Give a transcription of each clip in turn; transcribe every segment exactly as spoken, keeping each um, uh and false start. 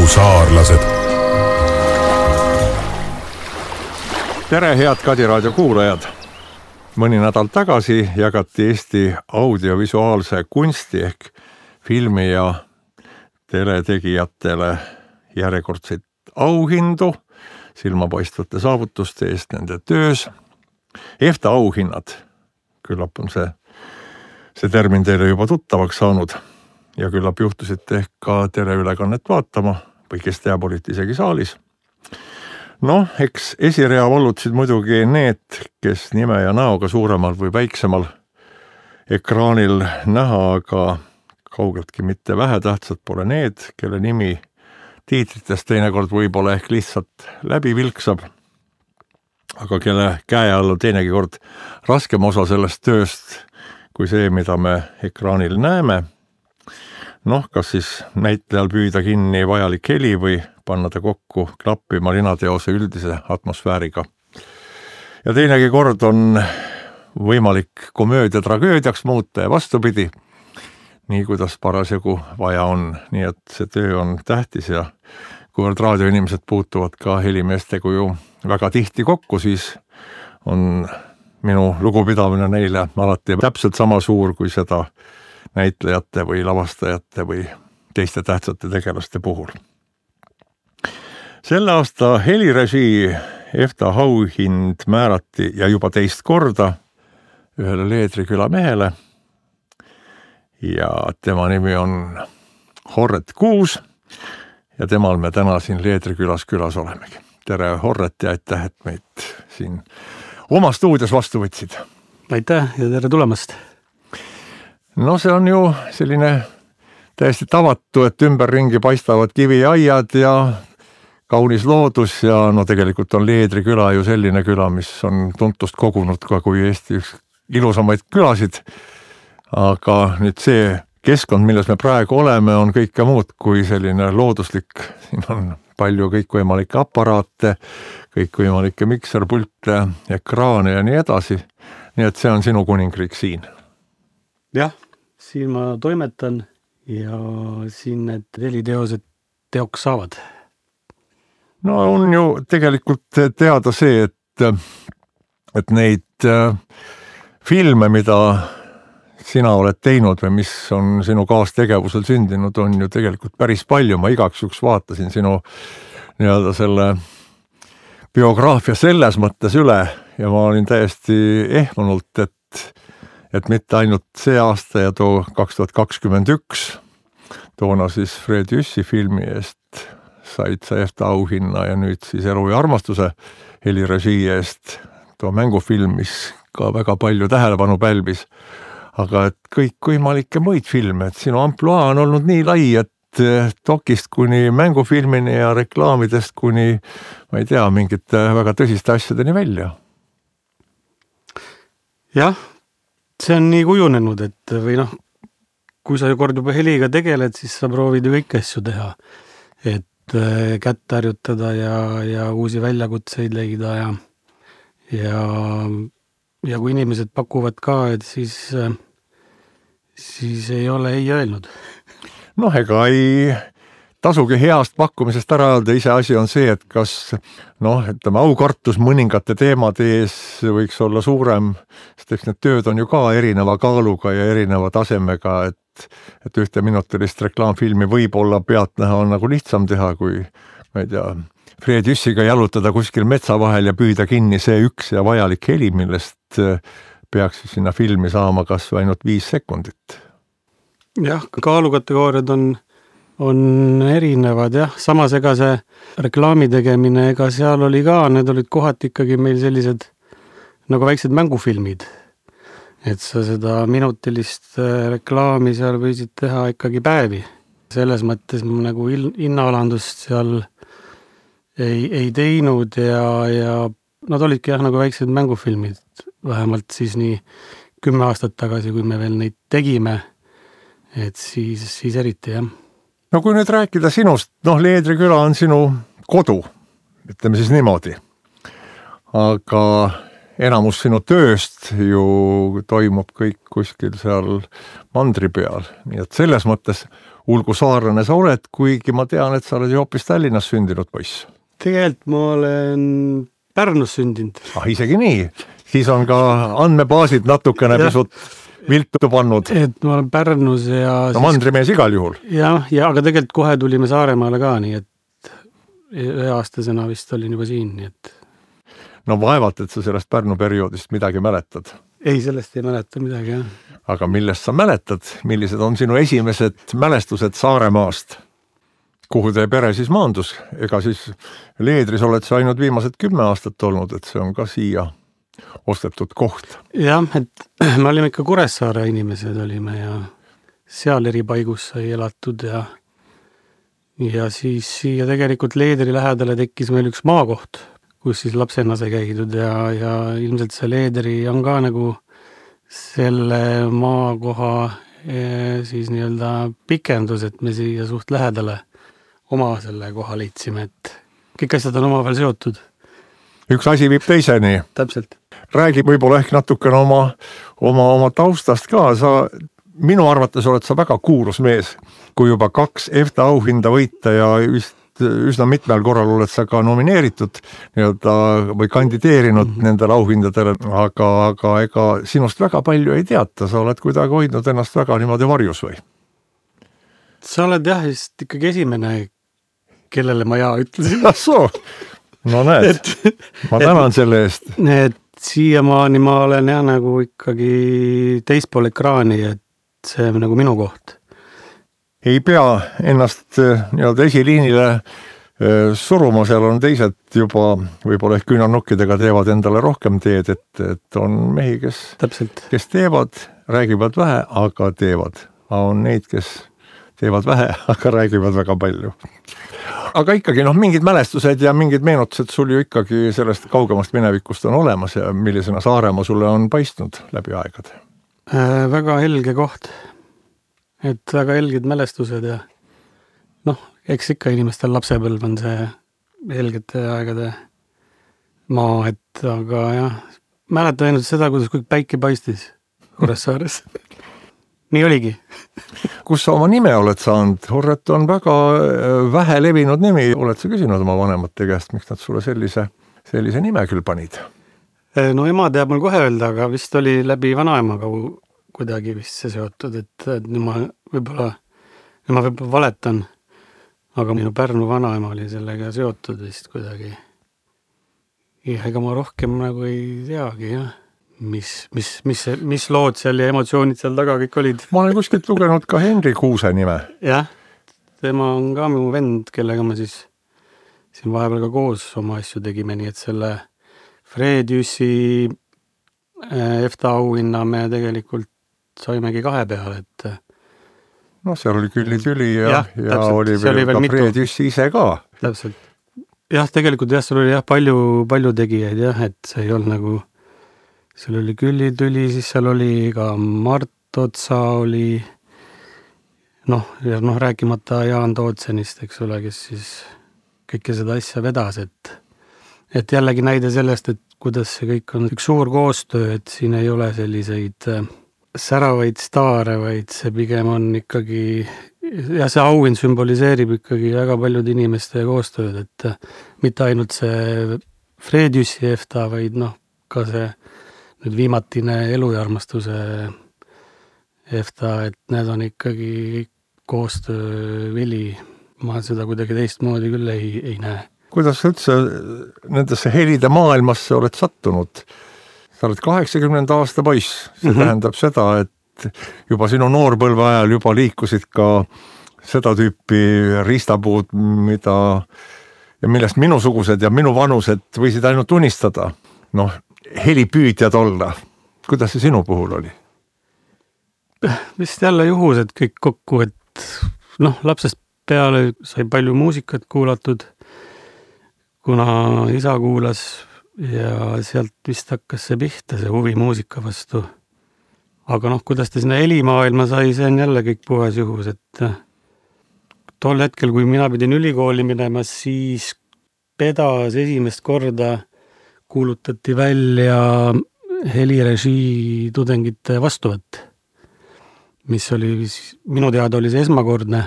Rahusaarlased. Tere, head Kadi raadio kuulajad! Mõni nädal tagasi jagati Eesti audiovisuaalse kunsti ehk filmi ja teletegijatele järjekordseid auhindu silmapaistvate saavutuste eest nende töös. EFTA auhinnad, küllap on see, see termin teile juba tuttavaks saanud ja küllap juhtusite ehk ka teleülekannet vaatama või kes teab, olite isegi saalis. Noh, eks esirea vallutasid muidugi need, kes nime ja näoga suuremal või väiksemal ekraanil näha, aga kaugeltki mitte vähetähtsad pole need, kelle nimi tiitritest teinekord võib-olla ehk lihtsalt läbi vilksab, aga kelle käe all on teinegi kord raskem osa sellest tööst kui see, mida me ekraanil näeme. Noh, kas siis näitlejal püüda kinni vajalik heli või panna ta kokku klappima linateose üldise atmosfääriga. Ja teinegi kord on võimalik komöödia tragöödiaks muuta ja vastupidi, nii kuidas parasjagu vaja on. Nii et see töö on tähtis ja kuivõrd raadioinimesed puutuvad ka helimeestega ju väga tihti kokku, siis on minu lugupidamine neile alati täpselt sama suur kui seda näitlejate või lavastajate või teiste tähtsate tegelaste puhul. Selle aasta helirežii EFTA auhind määrati ja juba teist korda ühele Leedriküla mehele ja tema nimi on Horret Kuus ja temal me täna siin Leedrikülas külas olemegi. Tere, Horret, ja aitäh, et meid siin oma stuudios vastu võtsid. Aitäh ja tere tulemast! No see on ju selline täiesti tavatu, et ümberringi paistavad kiviaiad ja kaunis loodus ja no tegelikult on Leedriküla ju selline küla, mis on tuntust kogunud ka kui Eesti üks ilusamaid külasid. Aga nüüd see keskkond, milles me praegu oleme, on kõike muud kui selline looduslik. Siin on palju kõikvõimalikke aparaate, kõikvõimalikke mikserpulte, ekraane ja nii edasi. Nii et see on sinu kuningriik siin. Jah, siin ma toimetan ja siin need heliteosed teoks saavad. No on ju tegelikult teada see, et, et neid filme, mida sina oled teinud või mis on sinu kaastegevusel sündinud, on ju tegelikult päris palju. Ma igaks juks vaatasin sinu nii-öelda selle biograafia selles mõttes üle ja ma olin täiesti ehmunult, et et mitte ainult see aasta ja too kaks tuhat kakskümmend üks, toona siis Fred Jüssi filmi eest said sa EFTA auhinna ja nüüd siis Elu ja armastuse helirežii eest too mängufilm, mis ka väga palju tähelepanu pälvis. Aga et kõik võimalikke muid filme, et sinu ampluaa on olnud nii lai, et dokist kuni mängufilmini ja reklaamidest kuni, ma ei tea, mingite väga tõsiste asjadeni välja. Jah, see on nii kujunenud, et või noh, kui sa kord juba heliga tegeled, siis sa proovid ju kõiki asju teha. Et kätt harjutada ja, ja uusi väljakutseid leida ja, ja, ja kui inimesed pakuvad ka, et siis, siis ei ole ei öelnud. Noh, ega ei tasugi heast pakkumisest ära öelda, ise asi on see, et kas noh, ütleme, aukartus mõningate teemade ees võiks olla suurem, sest eks need tööd on ju ka erineva kaaluga ja erineva tasemega, et, et ühte minutilist reklaamfilmi võib-olla pealtnäha on nagu lihtsam teha, kui ma ei tea, Fred Jüssiga jalutada kuskil metsa vahel ja püüda kinni see üks ja vajalik heli, millest peaks sinna filmi saama kas või ainult viis sekundit. Jah, kaalukategooriad on on erinevad, jah. Samas ega see reklaami tegemine, ega seal oli ka, need olid kohati ikkagi meil sellised nagu väiksed mängufilmid. Et sa seda minutilist reklaami seal võisid teha ikkagi päevi. Selles mõttes ma nagu hinnaalandust seal ei, ei teinud ja, ja nad olidki jah nagu väiksed mängufilmid. Vähemalt siis nii kümme aastat tagasi, kui me veel neid tegime, et siis, siis eriti jah. No kui nüüd rääkida sinust, noh, Leedriküla on sinu kodu, ütleme siis niimoodi. Aga enamus sinu tööst ju toimub kõik kuskil seal mandri peal, nii et selles mõttes ulgu saarlane sa oled, kuigi ma tean, et sa oled ju hoopis Tallinnas sündinud poiss. Tegelikult ma olen Pärnus sündinud. Ah, isegi nii, siis on ka andmebaasid natukene pisut viltu pannud. Et ma olen Pärnus ja... No mandrimees igal juhul. Jah, ja, aga tegelikult kohe tulime Saaremaale ka, nii et ühe aastasena vist olin juba siin, nii et... No vaevalt, et sa sellest Pärnu perioodist midagi mäletad. Ei, sellest ei mäleta midagi, jah. Aga millest sa mäletad? Millised on sinu esimesed mälestused Saaremaast? Kuhu teie pere siis maandus? Ega siis Leedris oled sa ainult viimased kümme aastat olnud, et see on ka siia ostetud koht. Jah, et me olime ikka Kuressaare inimesed olime ja seal eri paigus sai elatud ja ja siis siia tegelikult Leedri lähedale tekkis meil üks maakoht, kus siis lapsena sai käidud ja, ja ilmselt see Leedri on ka nagu selle maakoha siis nii-öelda pikendus, et me siia suht lähedale oma selle koha leidsime, et kõik asjad on omavahel seotud. Üks asi viib teiseni. Täpselt. Räägi võib-olla ehk natukene oma, oma, oma taustast ka. Sa, minu arvates oled sa väga kuulus mees, kui juba kaks EFTA auhinda võita ja vist üsna mitmel korral oled sa ka nomineeritud nii-öelda, või kandideerinud mm-hmm. nendele auhindadele, aga, aga ega sinust väga palju ei teata. Sa oled kuidagi hoidnud ennast väga niimoodi varjus või? Sa oled jah, just ikkagi esimene, kellele ma jaa ütlesin. Soo. No näed, et, ma tänan et, selle eest. Et siiamaani ma olen jah nagu ikkagi teispool ekraani, et see on nagu minu koht. Ei pea ennast nii-öelda esiliinile suruma, seal on teised juba võib-olla ehk küünarnukkidega teevad endale rohkem teed, et, et on mehi, kes, kes teevad, räägivad vähe, aga teevad. On neid, kes teevad vähe, aga räägivad väga palju. Aga ikkagi noh, mingid mälestused ja mingid meenutused sul ju ikkagi sellest kaugemast minevikust on olemas ja millisena Saaremaa sulle on paistnud läbi aegade? Äh, väga helge koht. Et väga helged mälestused ja noh, eks ikka inimestel lapsepõlv on see helgete aegade maa, et aga jah, mäletan ainult seda, kuidas kõik päike paistis Kuressaares. Nii oligi. Kus sa oma nime oled saanud? Horret on väga vähe levinud nimi. Oled sa küsinud oma vanemate käest, miks nad sulle sellise, sellise nime küll panid? No ema teab mul kohe öelda, aga vist oli läbi vanaemaga kuidagi vist see seotud, et, et ma võib-olla, ma võib-olla valetan, aga minu Pärnu vanaema oli sellega seotud vist kuidagi. Ja ega ma rohkem nagu ei teagi, jah. Mis, mis, mis, mis lood seal ja emotsioonid seal taga kõik olid. Ma olen kuskilt lugenud ka Henri Kuuse nime. Jah, tema on ka mu vend, kellega ma siis siin vahepeal ka koos oma asju tegime, nii et selle Fred Jüssi EFTA auhinna me tegelikult saimegi kahe peale, et no seal oli külli tüli ja, ja, ja täpselt, oli veel, veel ka Fred Jüssi ise ka. Täpselt. Jah, tegelikult jah, seal oli jah palju, palju tegijaid jah, et see ei olnud nagu seal oli külli tüli, siis seal oli ka Mart Otsa oli noh, ja noh, rääkimata Jaan Tootsenist, eks ole, kes siis kõike seda asja vedas, et et jällegi näide sellest, et kuidas see kõik on üks suur koostöö, et siin ei ole selliseid säravaid staare, vaid see pigem on ikkagi ja see auhind sümboliseerib ikkagi väga paljude inimeste koostööd, et mitte ainult see Fred Jüssi EFTA, vaid noh, ka see nüüd viimatine elu ja armastuse EFTA, et need on ikkagi koostöö vili. Ma seda kuidagi teistmoodi küll ei, ei näe. Kuidas sa üldse nendesse helide maailmasse oled sattunud? Sa oled kaheksakümnenda aasta poiss. See mm-hmm. tähendab seda, et juba sinu noorpõlve ajal juba liikusid ka seda tüüpi riistapuud, mida ja millest minusugused ja minu vanused võisid ainult unistada. Noh, helipüüdjad olla. Kuidas see sinu puhul oli? Vist jälle juhus, et kõik kokku, et noh, lapsest peale sai palju muusikat kuulatud, kuna isa kuulas ja sealt vist hakkas see pihta, see huvi muusika vastu. Aga noh, kuidas ta sinna helimaailma sai, see on jälle kõik puhas juhus, et tol hetkel, kui mina pidin ülikooli minema, siis pedas esimest korda kuulutati välja helirežii tudengite vastuvõtt, mis oli, minu teada oli see esmakordne,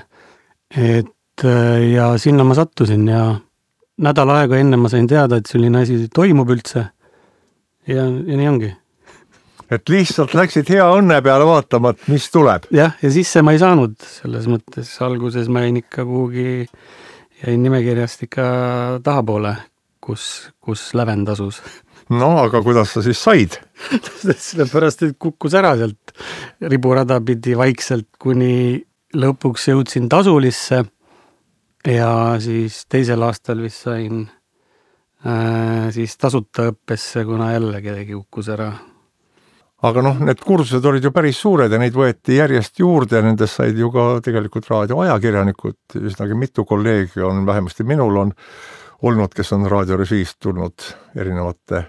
et ja sinna ma sattusin ja nädal aega enne ma sain teada, et selline asi toimub üldse ja, ja nii ongi. Et lihtsalt läksid hea õnne peale vaatama, et mis tuleb. Jah, ja sisse ma ei saanud selles mõttes. Alguses ma jäin ikka kuhugi, jäin nimekirjast ikka tahapoole, kus, kus lävend asus. No, aga kuidas sa siis said? Sellepärast, et kukkus ära sealt riburada pidi vaikselt, kuni lõpuks jõudsin tasulisse ja siis teisel aastal vist sain äh, siis tasuta õppesse, kuna jälle kedagi kukkus ära. Aga noh, need kursused olid ju päris suured ja neid võeti järjest juurde ja nendest said ju ka tegelikult raadioajakirjanikud. Üsnagi mitu kolleegi on, vähemasti minul on olnud, kes on raadiorežiist tulnud erinevate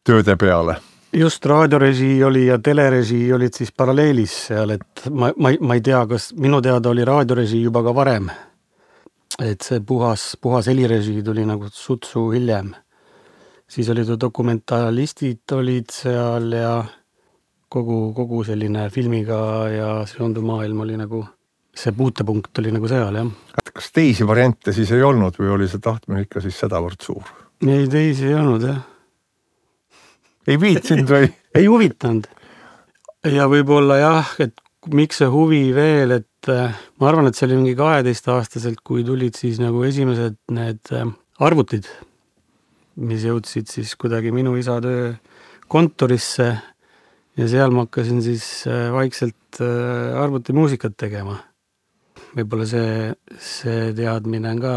tööde peale. Just raadiorežii oli ja telerežii olid siis paralleelis seal, et ma, ma, ma ei tea, kas minu teada oli raadiorežii juba ka varem. Et see puhas, puhas helirežii tuli nagu sutsu hiljem. Siis olid ju dokumentalistid olid seal ja kogu, kogu selline filmiga ja seonduv maailm oli nagu, see puutepunkt oli nagu seal, jah. Kas teisi variante siis ei olnud või oli see tahtmine ikka siis sedavõrd suur? Ei, teisi ei olnud, jah. Ei viitsinud või? Ei huvitanud. Ja võib-olla jah, et miks see huvi veel, et ma arvan, et see oli mingi kaheteist aastaselt, kui tulid siis nagu esimesed need arvutid, mis jõudsid siis kuidagi minu isa töö kontorisse ja seal ma hakkasin siis vaikselt arvutimuusikat tegema. Võib-olla see, see teadmine on ka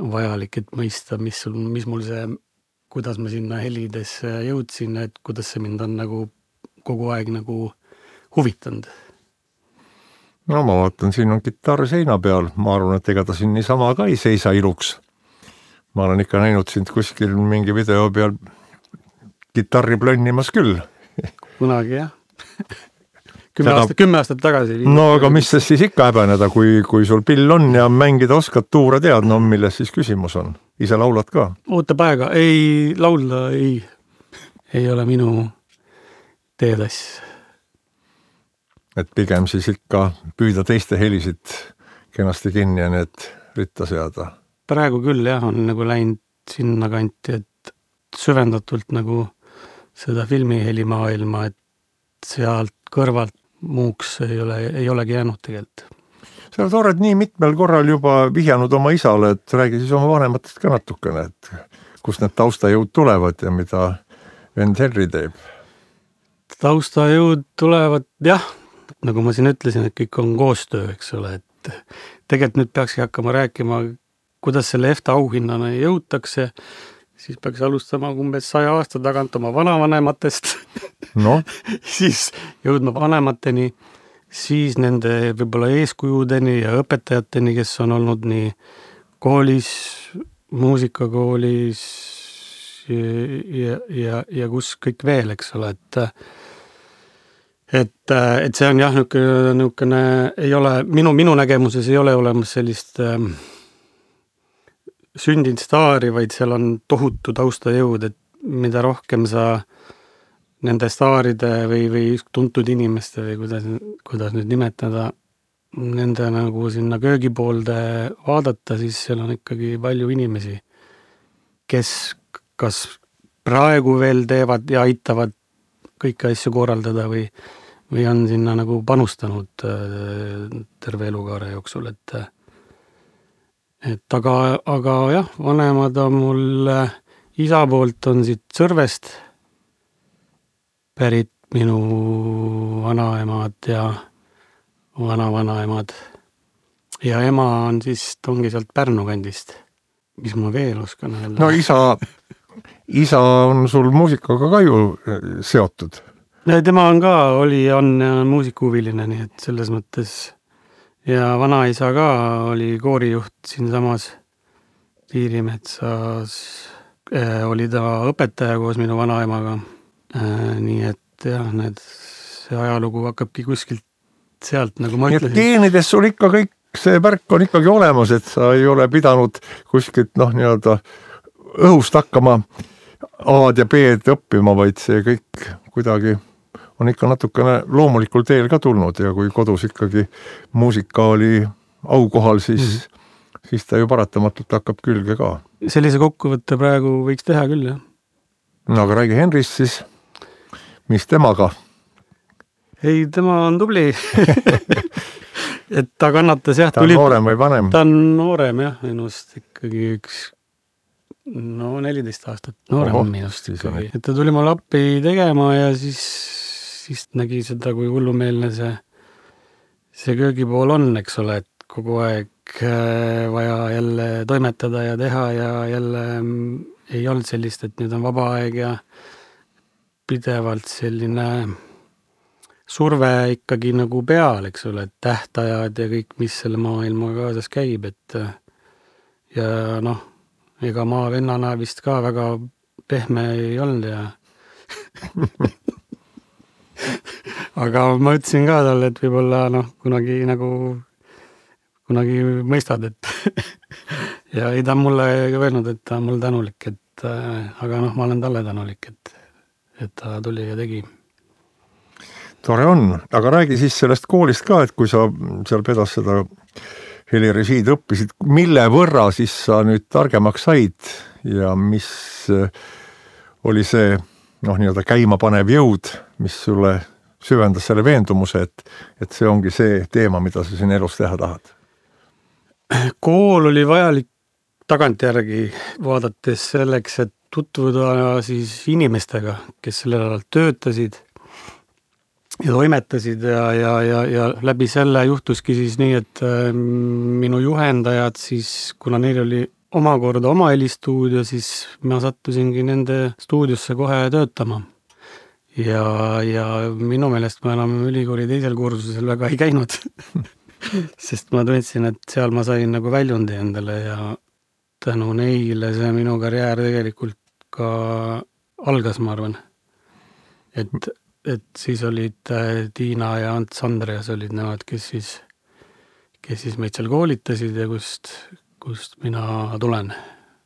vajalik, et mõista, mis, sul, mis mul see, kuidas ma sinna helidesse jõudsin, et kuidas see mind on nagu kogu aeg nagu huvitanud. No ma vaatan, siin on kitarr seina peal. Ma arvan, et ega ta siin niisama ka ei seisa iluks. Ma olen ikka näinud sind kuskil mingi video peal kitarri plönnimas küll. Kunagi, jah. Kümme, Seda... aastat, kümme aastat tagasi. No aga mis siis ikka häbeneda, kui, kui sul pill on ja mängida oskad, tuura tead, no milles siis küsimus on? Ise laulad ka? Ootab aega. Ei, laulda ei, ei ole minu teedass. Et pigem siis ikka püüda teiste helisid kenasti kinni ja need ritta seada. Praegu küll jah, on nagu läinud sinna kanti, et süvendatult nagu seda filmihelimaailma, et sealt kõrvalt muuks ei ole, ei olegi jäänud tegelikult. Sa oled nii mitmel korral juba vihjanud oma isale, et räägi siis oma vanematest ka natukene, et kust need taustajõud tulevad ja mida vend Henri teeb? Taustajõud tulevad, jah, nagu ma siin ütlesin, et kõik on koostöö, eks ole, et tegelikult nüüd peakski hakkama rääkima, kuidas selle EFTA auhinnana jõutakse, siis peaks alustama umbes saja aasta tagant oma vanavanematest, no. siis jõudma vanemateni, siis nende võib-olla eeskujudeni ja õpetajateni, kes on olnud nii koolis, muusikakoolis ja, ja, ja, ja kus kõik veel, eks ole, et et, et see on jah, niisugune, ei ole, minu, minu nägemuses ei ole olemas sellist ähm, sündinud staari, vaid seal on tohutu taustajõud, et mida rohkem sa nende staaride või, või tuntud inimeste või kuidas, kuidas nüüd nimetada, nende nagu sinna köögipoolde vaadata, siis seal on ikkagi palju inimesi, kes kas praegu veel teevad ja aitavad kõiki asju korraldada või, või on sinna nagu panustanud terve elukaare jooksul, et et aga, aga jah, vanemad on mul isa poolt on siit Sõrvest pärit minu vanaemad ja vanavanaemad ja ema on siis, ongi sealt Pärnu kandist. Mis ma veel oskan öelda? No isa, isa on sul muusikaga ka ju seotud. Tema on ka, oli, on muusikuhuviline, nii et selles mõttes ja vanaisa ka oli koorijuht siin samas Piirimetsas, äh, oli ta õpetaja koos minu vanaemaga, äh, nii et jah, need, see ajalugu hakkabki kuskilt sealt, nagu ma ütlesin. Geenides sul ikka kõik see värk on ikkagi olemas, et sa ei ole pidanud kuskilt noh, nii-öelda õhust hakkama A-d ja B-d õppima, vaid see kõik kuidagi on ikka natukene loomulikul teel ka tulnud ja kui kodus ikkagi muusika oli aukohal, siis, mm-hmm. siis ta ju paratamatult hakkab külge ka. Sellise kokkuvõtte praegu võiks teha küll, jah. No aga räägi Henrist siis, mis temaga? Ei, tema on tubli. Et ta kannatas, jah. Ta on tuli... noorem või vanem? Ta on noorem, jah, minust ikkagi üks no neliteist aastat noorem Oho, minust ikkagi. Et ta tuli mulle appi tegema ja siis, siis nägi seda, kui hullumeelne see, see köögipool on, eks ole, et kogu aeg vaja jälle toimetada ja teha ja jälle ei olnud sellist, et nüüd on vaba aeg ja pidevalt selline surve ikkagi nagu peal, eks ole, et tähtajad ja kõik, mis selle maailma kaasas käib, et ja noh, ega ma vennana vist ka väga pehme ei olnud ja aga ma ütlesin ka talle, et võib-olla noh, kunagi nagu kunagi mõistad, et ja ei ta mulle öelnud, et ta on mul tänulik, et aga noh, ma olen talle tänulik, et, et ta tuli ja tegi. Tore on, aga räägi siis sellest koolist ka, et kui sa seal pedas seda helirežiid õppisid, mille võrra siis sa nüüd targemaks said ja mis oli see noh, nii-öelda käimapanev jõud, mis sulle süvendas selle veendumuse, et, et see ongi see teema, mida sa siin elus teha tahad? Kool oli vajalik tagantjärgi vaadates selleks, et tutvuda siis inimestega, kes sellel alal töötasid ja toimetasid ja, ja, ja, ja läbi selle juhtuski siis nii, et minu juhendajad siis, kuna neil oli omakorda oma helistuudio, siis ma sattusingi nende stuudiosse kohe töötama. Ja, ja minu meelest ma enam ülikooli teisel kursusel väga ei käinud, sest ma tundsin, et seal ma sain nagu väljundi endale ja tänu neile see minu karjäär tegelikult ka algas, ma arvan. Et et siis olid Tiina ja Ants Andreas olid nemad, kes siis, kes siis meid seal koolitasid ja kust, kust mina tulen.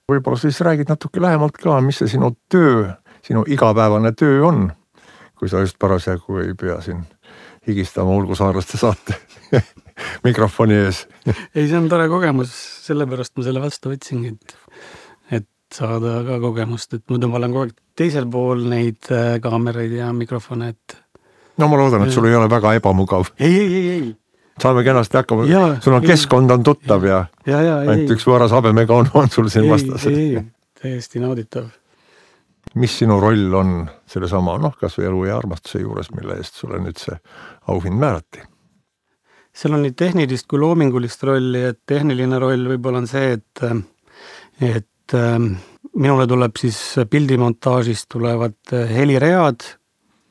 Võib-olla siis räägid natuke lähemalt ka, mis see sinu töö, sinu igapäevane töö on, kui sa just parasjagu ei pea siin higistama Ulgusaarlaste saate mikrofoni ees. Ei, see on tore kogemus, sellepärast ma selle vastu võtsingi, et, et saada ka kogemust, et muidu ma olen kogu aeg teisel pool neid kaameraid ja mikrofone, et no ma loodan, et sul ei ole väga ebamugav. Ei, ei, ei, ei. Saame kenasti hakkama. Ja, sul on ei, keskkond on tuttav ja, ja, ja ainult ei, üks võõras habemega on, on sul siin vastas. Ei, ei, täiesti nauditav. Mis sinu roll on selle sama, noh, kas või elu ja armastuse juures, mille eest sulle nüüd see auhind määrati? Seal on nii tehnilist kui loomingulist rolli, et tehniline roll võib-olla on see, et, et minule tuleb siis pildimontaažist tulevad heliread,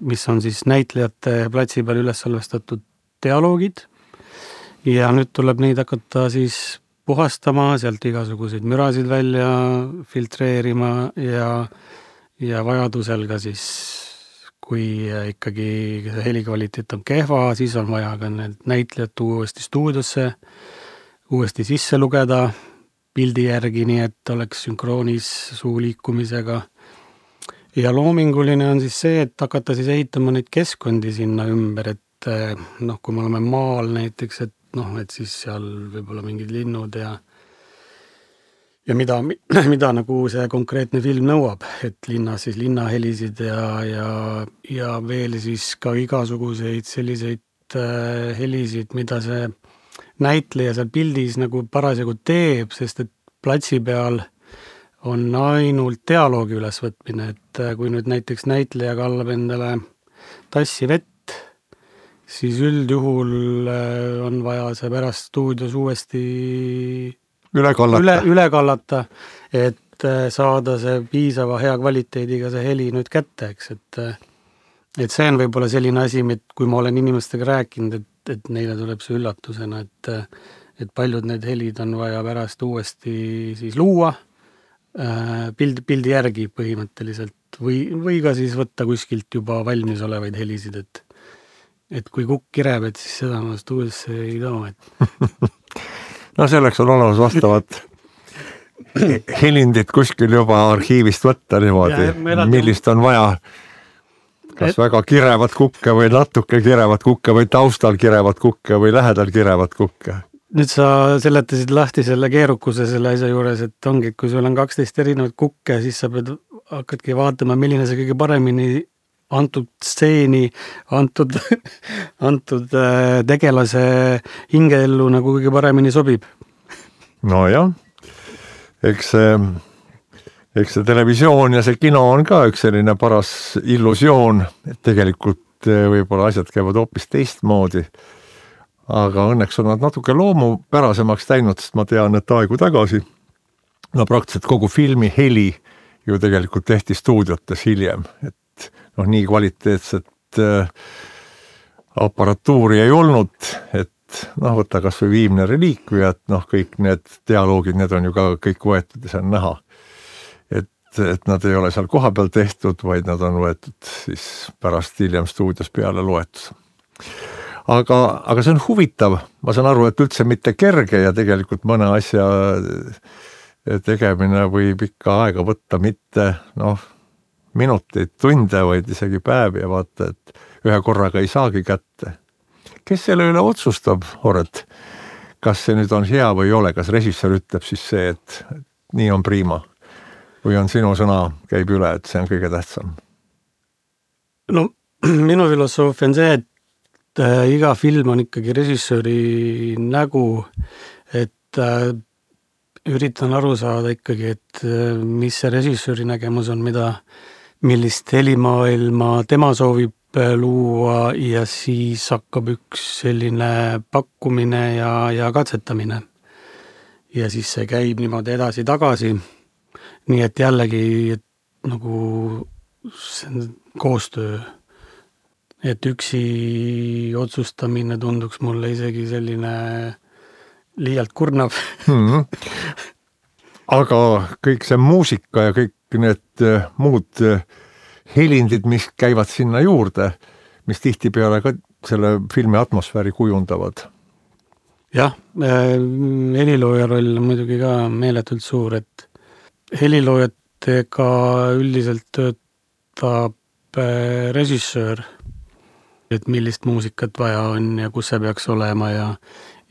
mis on siis näitlejate platsi peal üles salvestatud dialoogid ja nüüd tuleb neid hakata siis puhastama, sealt igasuguseid mürasid välja filtreerima ja, ja vajadusel ka siis, kui ikkagi helikvaliteet on kehva, siis on vaja ka need näitlejad uuesti stuudiosse, uuesti sisse lugeda pildi järgi, nii et oleks sünkroonis suu liikumisega. Ja loominguline on siis see, et hakata siis ehitama neid keskkondi sinna ümber, et noh, kui me oleme maal näiteks, et noh, et siis seal võib-olla mingid linnud ja ja mida, mida nagu see konkreetne film nõuab, et linnas siis linnahelisid ja, ja, ja veel siis ka igasuguseid selliseid äh, helisid, mida see näitleja seal pildis nagu parasjagu teeb, sest et platsi peal on ainult dialoogi ülesvõtmine, et kui nüüd näiteks näitleja kallab endale tassi vett, siis üldjuhul on vaja see pärast stuudios uuesti üle kallata, üle, üle kallata, et saada see piisava hea kvaliteediga see heli nüüd kätte, eks, et, et see on võib-olla selline asi, et kui ma olen inimestega rääkinud, et et neile tuleb see üllatusena, et, et paljud need helid on vaja pärast uuesti siis luua pild, pildi järgi põhimõtteliselt või, või ka siis võtta kuskilt juba valmis olevaid helisid, et, et kui kukk kireb, et siis seda ma stuudiosse ei too. Et... no selleks on olemas vastavad helindit kuskil juba arhiivist võtta niimoodi, millist on vaja, kas et... väga kirevat kukke või natuke kirevat kukke või taustal kirevat kukke või lähedal kirevat kukke. Nüüd sa seletasid lahti selle keerukuse selle asja juures, et ongi, kui sul on kaksteist erinevat kukke, siis sa pead, hakkadki vaatama, milline see kõige paremini antud stseeni, antud, antud tegelase hingeellu nagu kõige paremini sobib. No jah, eks see, eks see televisioon ja see kino on ka üks selline paras illusioon, et tegelikult võib-olla asjad käivad hoopis teistmoodi. Aga õnneks on nad natuke loomupärasemaks täinud, sest ma tean, et aegu tagasi, no praktiliselt kogu filmi heli ju tegelikult tehti stuudiotes hiljem, et noh, nii kvaliteetset äh, aparatuuri ei olnud, et noh, võta kas või Viimne reliikvia, et noh, kõik need dialoogid, need on ju ka kõik võetud ja see on näha. Et, et nad ei ole seal koha peal tehtud, vaid nad on võetud siis pärast hiljem stuudios peale loetus. Aga, aga see on huvitav, ma saan aru, et üldse mitte kerge ja tegelikult mõne asja tegemine võib ikka aega võtta mitte noh, minuteid, tunde, vaid isegi päevi ja vaata, et ühe korraga ei saagi kätte. Kes selle üle otsustab, Horet? Kas see nüüd on hea või ei ole? Kas režissöör ütleb siis see, et nii on prima? Või on sinu sõna käib üle, et see on kõige tähtsam? No minu filosoofia on see, et iga film on ikkagi režissööri nägu, et äh, üritan aru saada ikkagi, et äh, mis see režissööri nägemus on, mida, millist helimaailma tema soovib äh, luua ja siis hakkab üks selline pakkumine ja, ja katsetamine. Ja siis see käib niimoodi edasi-tagasi. Nii et jällegi et nagu see on koostöö. Et üksi otsustamine tunduks mulle isegi selline liialt kurnav. Hmm. Aga kõik see muusika ja kõik need muud helindid, mis käivad sinna juurde, mis tihtipeale ka selle filmi atmosfääri kujundavad. Jah, helilooja roll on muidugi ka meeletult suur, et heliloojatega üldiselt töötab režissöör, et millist muusikat vaja on ja kus see peaks olema ja,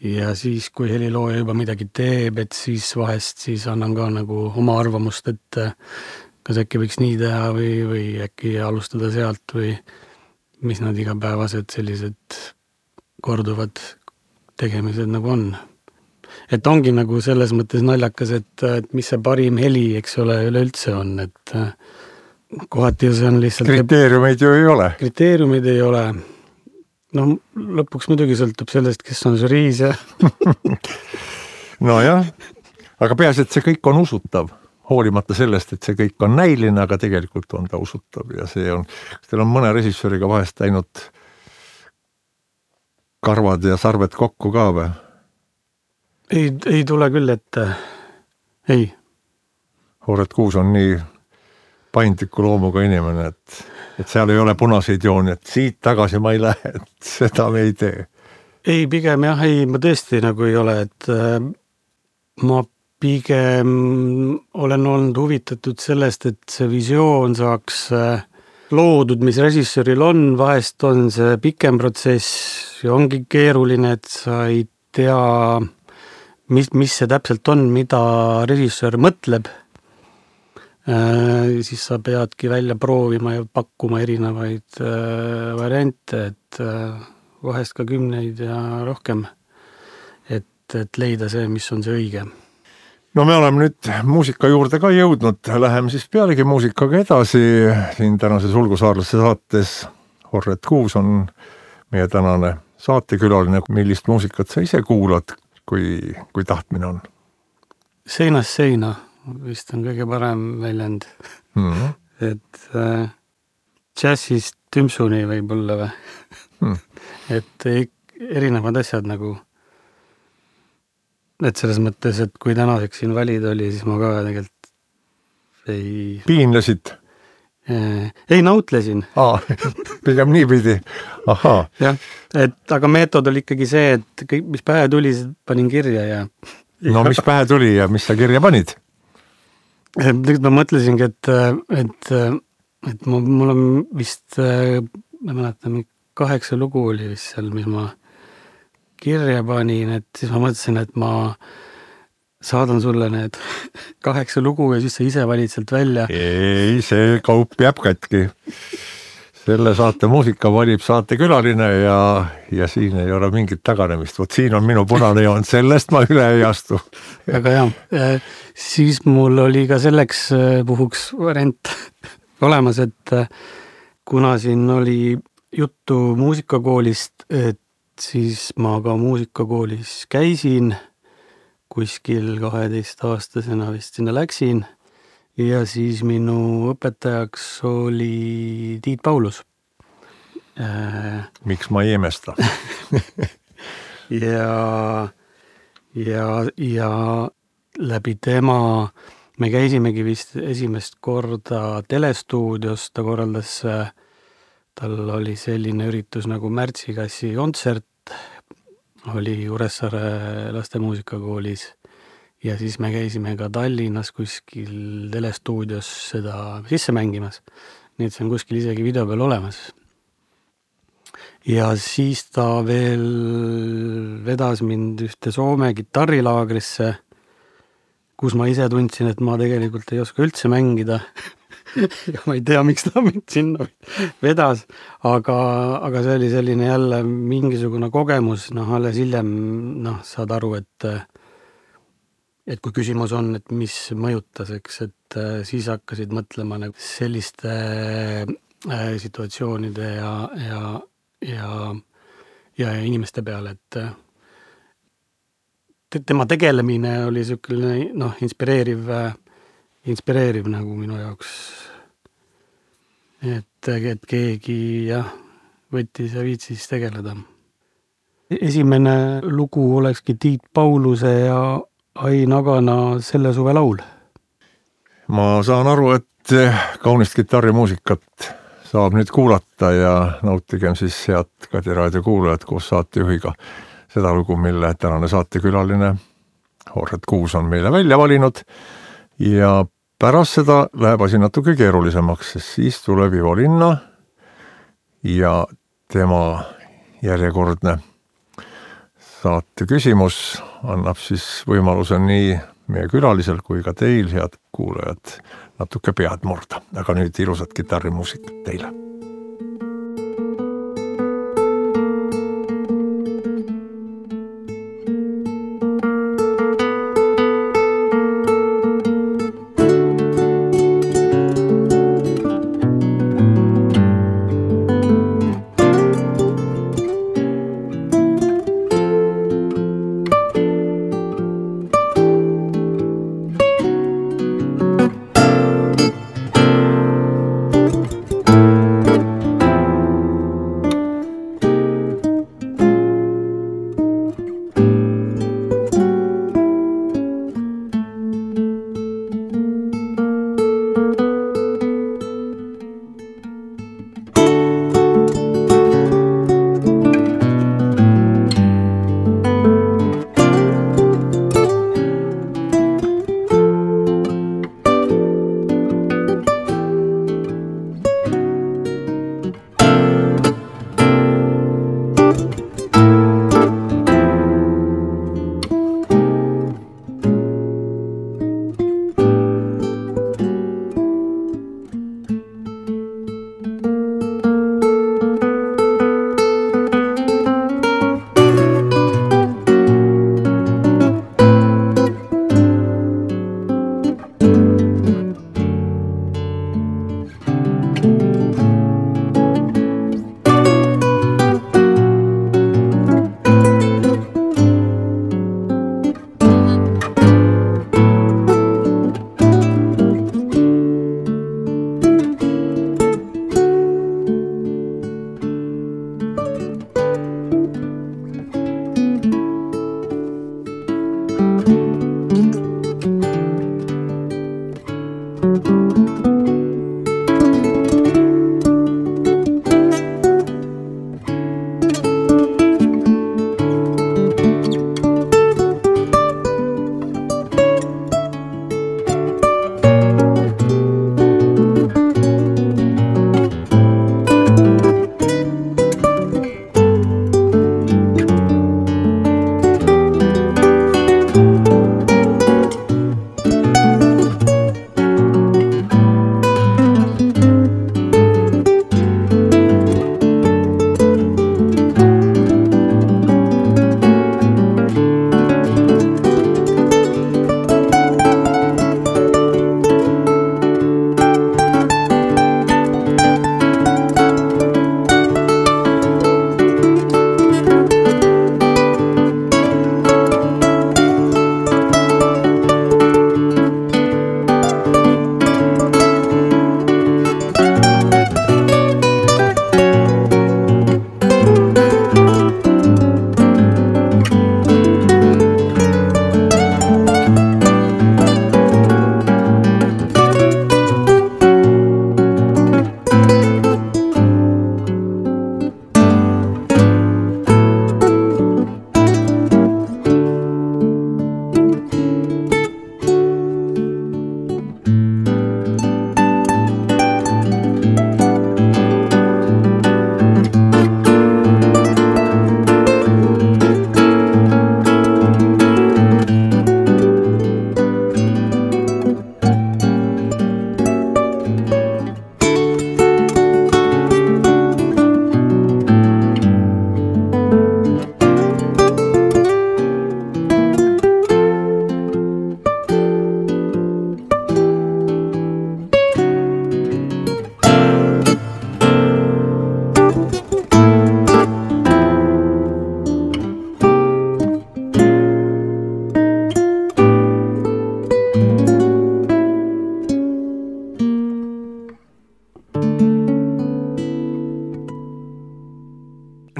ja siis, kui helilooja juba midagi teeb, et siis vahest siis annan ka nagu oma arvamust, et kas äkki võiks nii teha või, või äkki alustada sealt või mis nad igapäevased sellised korduvad tegemised nagu on. Et ongi nagu selles mõttes naljakas, et, et mis see parim heli, eks ole, üleüldse on, et kohati see on lihtsalt... Kriteeriumeid ju ei ole. Kriteeriumid ei ole. No lõpuks muidugi sõltub sellest, kes on žüriis ja... no jah, aga peas, et see kõik on usutav, hoolimata sellest, et see kõik on näiline, aga tegelikult on ta usutav ja see on... Kas teil on mõne režissööriga vahest läinud karvad ja sarved kokku ka või? Ei, ei tule küll, et ei. Horet Kuus on nii... paindliku loomuga inimene, et, et seal ei ole punaseid jooni, et siit tagasi ma ei lähe, et seda me ei tee. Ei, pigem jah, ei, ma tõesti nagu ei ole, et äh, ma pigem olen olnud huvitatud sellest, et see visioon saaks äh, loodud, mis režissööril on, vahest on see pikem protsess ja ongi keeruline, et sa ei tea, mis, mis see täpselt on, mida režissöör mõtleb. Äh, siis sa peadki välja proovima ja pakkuma erinevaid äh, variante, et äh, vahest ka kümneid ja rohkem, et, et leida see, mis on see õige. No me oleme nüüd muusika juurde ka jõudnud, läheme siis pealegi muusikaga edasi, siin tänases Ulgusaarlaste saates Horet Kuus on meie tänane saatekülaline, millist muusikat sa ise kuulad, kui, kui tahtmine on? Seinast seina. Vist on kõige parem väljend. Mm-hmm. Et äh, džässist tümsuni võib olla või? Mm. Et erinevad asjad nagu, et selles mõttes, et kui tänaseks siin valida oli, siis ma ka tegelikult ei... Piinlesid? Äh, ei nautlesin. Aa, pigem nii pidi. Ahaa. Jah, et aga meetod oli ikkagi see, et kõik, mis pähe tuli, panin kirja ja... No mis pähe tuli ja mis sa kirja panid? tegelikult ma mõtlesingi, et, et, et mul, mul on vist, ma mäletan, kaheksa lugu oli vist seal, mis ma kirja panin, et siis ma mõtlesin, et ma saadan sulle need kaheksa lugu ja siis sa ise valid sealt välja. Ei, see kaup jääb katki. Selle saate muusika valib saatekülaline ja, ja siin ei ole mingit taganemist. Vot siin on minu punane joon, sellest ma üle ei astu. Väga hea. Siis mul oli ka selleks puhuks variant olemas, et kuna siin oli juttu muusikakoolist, et siis ma ka muusikakoolis käisin, kuskil kaheteist aastasena vist sinna läksin. Ja siis minu õpetajaks oli Tiit Paulus. Miks ma ei imesta? ja, ja, ja läbi tema me käisimegi vist esimest korda telestuudios, ta korraldas, tal oli selline üritus nagu märtsikassi kontsert, oli Kuressaare lastemuusikakoolis. Ja siis me käisime ka Tallinnas kuskil telestuudios seda sisse mängimas. Nii et see on kuskil isegi video peal olemas. Ja siis ta veel vedas mind ühte Soome kitarrilaagrisse, kus ma ise tundsin, et ma tegelikult ei oska üldse mängida. Ja ma ei tea, miks ta mind sinna vedas, aga, aga see oli selline jälle mingisugune kogemus, noh, alles hiljem noh, saad aru, et et kui küsimus on, et mis mõjutas, eks, et siis hakkasid mõtlema nagu selliste situatsioonide ja, ja, ja, ja inimeste peale, et tema tegelemine oli selline, noh, inspireeriv, inspireeriv nagu minu jaoks, et, et keegi, jah, võttis ja viitsis tegeleda. Esimene lugu olekski Tiit Pauluse ja Ai Nagana Selle suve laul. Ma saan aru, et kaunist kitarrimuusikat saab nüüd kuulata ja nautigem siis head Kadi raadio kuulajad koos saatejuhiga seda lugu, mille tänane saatekülaline Horret Kuus on meile välja valinud ja pärast seda läheb asi natuke keerulisemaks, sest siis tuleb Ivo Linna ja tema järjekordne saate küsimus annab siis võimaluse nii meie külalisel kui ka teil, head kuulajad, natuke pead murda. Aga nüüd ilusat kitarrimuusikat teile.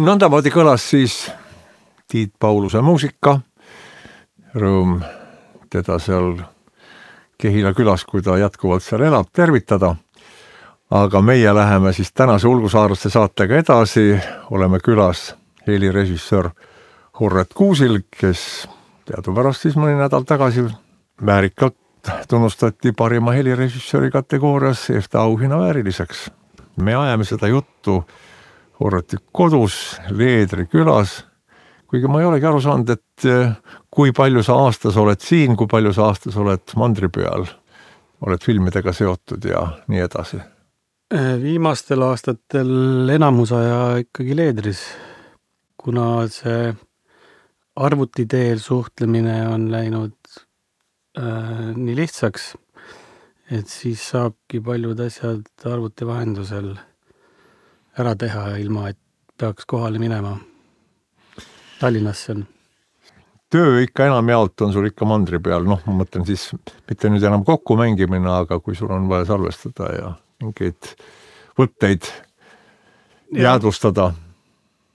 nõndamaadi kõlas siis Tiit Pauluse muusika. Rõõm teda seal Kehila külas, kui ta jätkuvalt seal elab, tervitada. Aga meie läheme siis tänase Ulgusaarlaste saatega edasi. Oleme külas helirežissöör Horret Kuusil, kes teadupärast siis mõni nädal tagasi väärikalt tunnustati parima helirežissööri kategoorias EFTA auhinna vääriliseks. Me ajame seda juttu Horreti kodus, Leedri külas, kuigi ma ei olegi aru saanud, et kui palju sa aastas oled siin, kui palju sa aastas oled mandri peal, oled filmidega seotud ja nii edasi. Viimastel aastatel enamus aja ikkagi Leedris, kuna see arvuti teel suhtlemine on läinud äh, nii lihtsaks, et siis saabki paljud asjad arvuti vahendusel ära teha, ilma et peaks kohale minema. Tallinnasse on. Töö ikka enam jaolt on sul ikka mandri peal, noh, ma mõtlen siis mitte nüüd enam kokku mängimine, aga kui sul on vaja salvestada ja mingeid võtteid jäädvustada.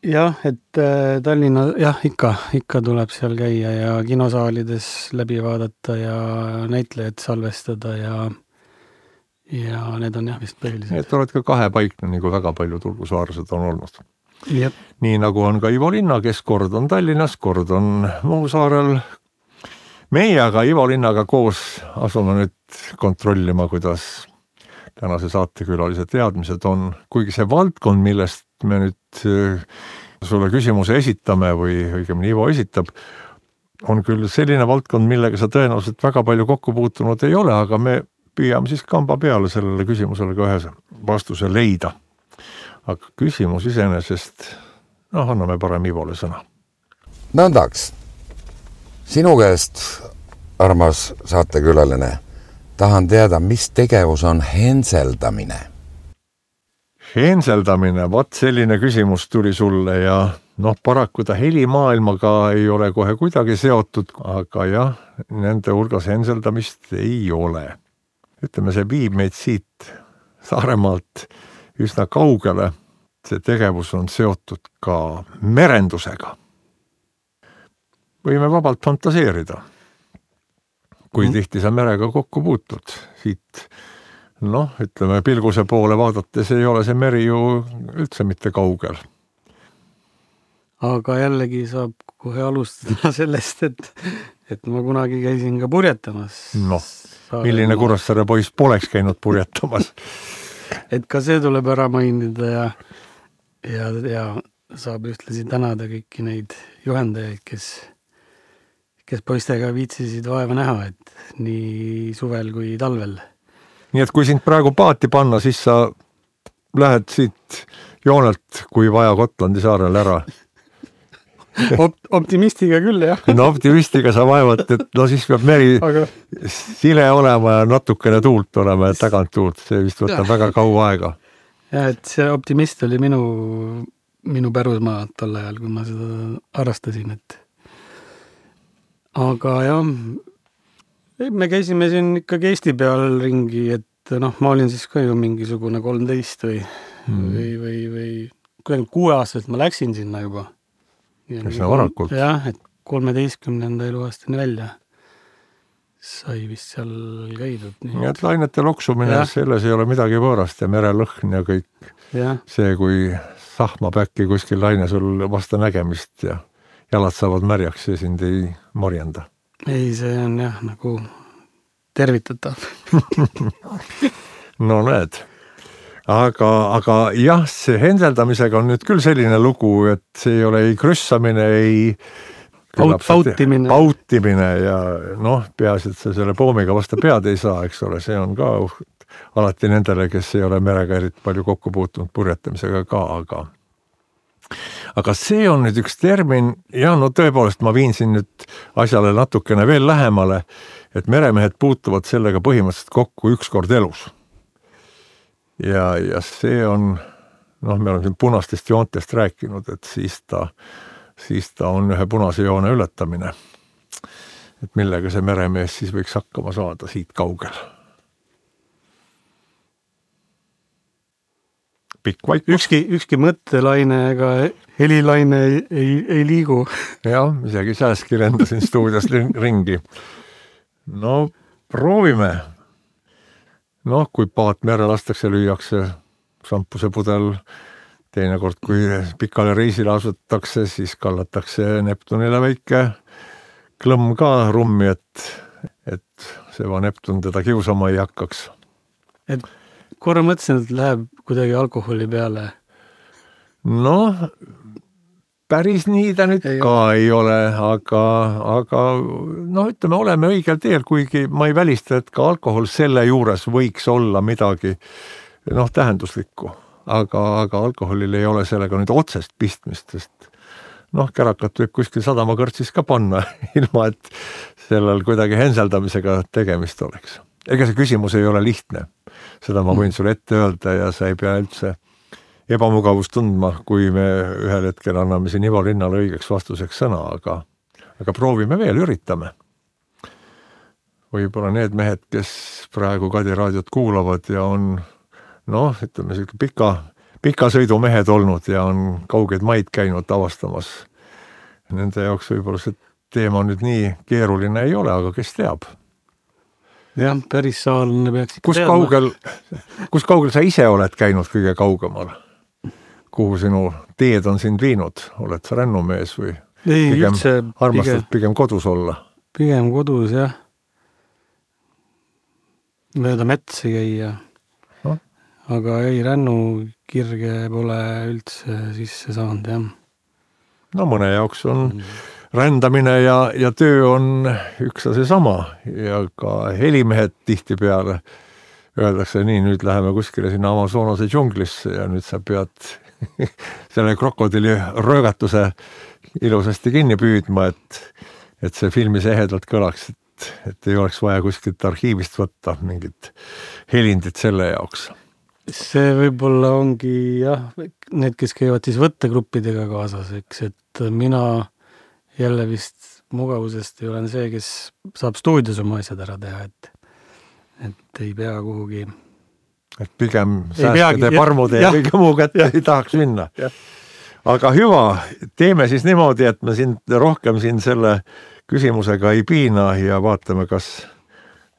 Jah, et äh, Tallinna, jah, ikka, ikka tuleb seal käia ja kinosaalides läbi vaadata ja näitlejad salvestada ja, ja need on jah vist põhilised. Et oled ka kahepaikne, nagu väga paljud ulgusaarlased on olnud. Jep. Nii nagu on ka Ivo Linna, kes kord on Tallinnas, kord on Muusaarel. Meie aga Ivo Linnaga koos asume nüüd kontrollima, kuidas tänase saatekülalise teadmised on. Kuigi see valdkond, millest me nüüd sulle küsimuse esitame või õigemini Ivo esitab, on küll selline valdkond, millega sa tõenäoliselt väga palju kokku puutunud ei ole, aga me püüame siis kamba peale sellele küsimusele ka ühe vastuse leida. Aga küsimus iseenesest, noh, anname parem Ivole sõna. Nõndaks, sinu käest, armas saatekülaline, tahan teada, mis tegevus on henseldamine? Henseldamine, vat selline küsimus tuli sulle ja noh, paraku ta helimaailmaga ei ole kohe kuidagi seotud, aga jah, nende hulgas henseldamist ei ole. Ütleme, see viib meid siit Saaremaalt üsna kaugele. See tegevus on seotud ka merendusega. Võime vabalt fantaseerida, kui mm. tihti sa merega kokku puutud. Siit, noh, ütleme, pilguse poole vaadates ei ole see meri ju üldse mitte kaugel. Aga jällegi saab kohe alustada sellest, et, et ma kunagi käisin ka purjetamas. Noh, milline Kuressaare poiss poleks käinud purjetamas? Et ka see tuleb ära mainida ja, ja, ja saab ühtlasi tänada kõiki neid juhendajaid, kes, kes poistega viitsisid vaeva näha, et nii suvel kui talvel. Nii et kui sind praegu paati panna, siis sa lähed siit joonelt, kui vaja Gotlandi saarel ära. Opt- optimistiga küll, jah. No optimistiga sa vaevad, et no siis peab meri aga... sile olema ja natukene tuult olema ja tagant tuult. See vist võtab ja. väga kaua aega. Ja, et see optimist oli minu, minu pärusmaa tol ajal, kui ma seda harrastasin. Et... Aga jah, me käisime siin ikkagi Eesti peal ringi, et noh, ma olin siis ka ju mingisugune kolmteist või, hmm. või, või, või kuidagi kuue aastaselt ma läksin sinna juba. Kes on varakult? Jah, et kolmeteistkümnenda eluaastani välja sai vist seal käidud. Nii et lainete loksumine, ja. Selles ei ole midagi võõrast ja merelõhn ja kõik. Ja. See, kui sahmab äkki kuskil laine sul vasta nägemist ja jalad saavad märjaks ja sind ei morjenda. Ei, see on jah nagu tervitatav. No näed. Aga, aga jah, see henseldamisega on nüüd küll selline lugu, et see ei ole ei krüssamine, ei Paut, pautimine. pautimine ja noh, peaasi, et sa selle poomiga vasta pead ei saa, eks ole, see on ka alati nendele, kes ei ole merega eriti palju kokku puutunud purjetamisega ka, aga aga see on nüüd üks termin, ja no tõepoolest ma viin siin nüüd asjale natukene veel lähemale, et meremehed puutuvad sellega põhimõtteliselt kokku üks kord elus. Ja, ja see on, noh, me oleme siin punastest joontest rääkinud, et siis ta, siis ta on ühe punase joone ületamine. Et millega see meremees siis võiks hakkama saada siit kaugel. pikk vaikus. Ükski, ükski mõttelaine ega helilaine ei, ei, ei liigu. Jah, isegi sääski lendasin stuudios ringi. No proovime. Noh, kui paat mere lastakse, lüüakse šampuse pudel, teinekord kui pikale reisile asutakse, siis kallatakse Neptunile väike klõmm ka rummi, et, et see va Neptun teda kiusama ei hakkaks. Et korra mõtlesin, et läheb kuidagi alkoholi peale. Noh, päris nii ta nüüd ei ka ole. ei ole, aga, aga noh, ütleme, oleme õigel teel, kuigi ma ei välista, et ka alkohol selle juures võiks olla midagi noh, tähenduslikku, aga, aga alkoholil ei ole sellega nüüd otsest pistmist, sest noh, kärakat võib kuskil sadama kõrtsis ka panna, ilma et sellel kuidagi henseldamisega tegemist oleks. Ega see küsimus ei ole lihtne. Seda ma võin sulle ette öelda ja sa ei pea üldse ebamugavust tundma, kui me ühel hetkel anname siin Ivo Linnale õigeks vastuseks sõna, aga, aga proovime veel, üritame. Võib-olla need mehed, kes praegu Kadi raadiot kuulavad ja on noh, ütleme selline pika pika sõidumehed olnud ja on kaugeid maid käinud avastamas. Nende jaoks võib-olla see teema nüüd nii keeruline ei ole, aga kes teab? Jah, päris saalne peaks ikka kus teadma. Kaugel, kus kaugel sa ise oled käinud kõige kaugemal? Kuhu sinu teed on sind viinud? Oled sa rännumees või ei, pigem üldse, armastad pigem, pigem kodus olla? Pigem kodus, jah. Mööda metsi käia. No. Aga ei, rännu kirge pole üldse sisse saanud, jah. No mõne jaoks on mm. rändamine ja, ja töö on üks ja see sama ja ka helimehed tihti peale öeldakse nii, nüüd läheme kuskile sinna Amazonase džunglisse ja nüüd sa pead selle krokodili röögatuse ilusasti kinni püüdma, et, et see filmis ehedalt kõlaks, et, et ei oleks vaja kuskilt arhiivist võtta mingit helindit selle jaoks. See võib-olla ongi jah, need, kes käivad siis võttegruppidega kaasas, eks, et mina jälle vist mugavusest ei olen see, kes saab stuudios oma asjad ära teha, et, et ei pea kuhugi. Et pigem sääskede, parmude ja, ja kõige muu kätte ei tahaks minna. Ja. Aga hüva, teeme siis niimoodi, et me siin rohkem siin selle küsimusega ei piina ja vaatame, kas,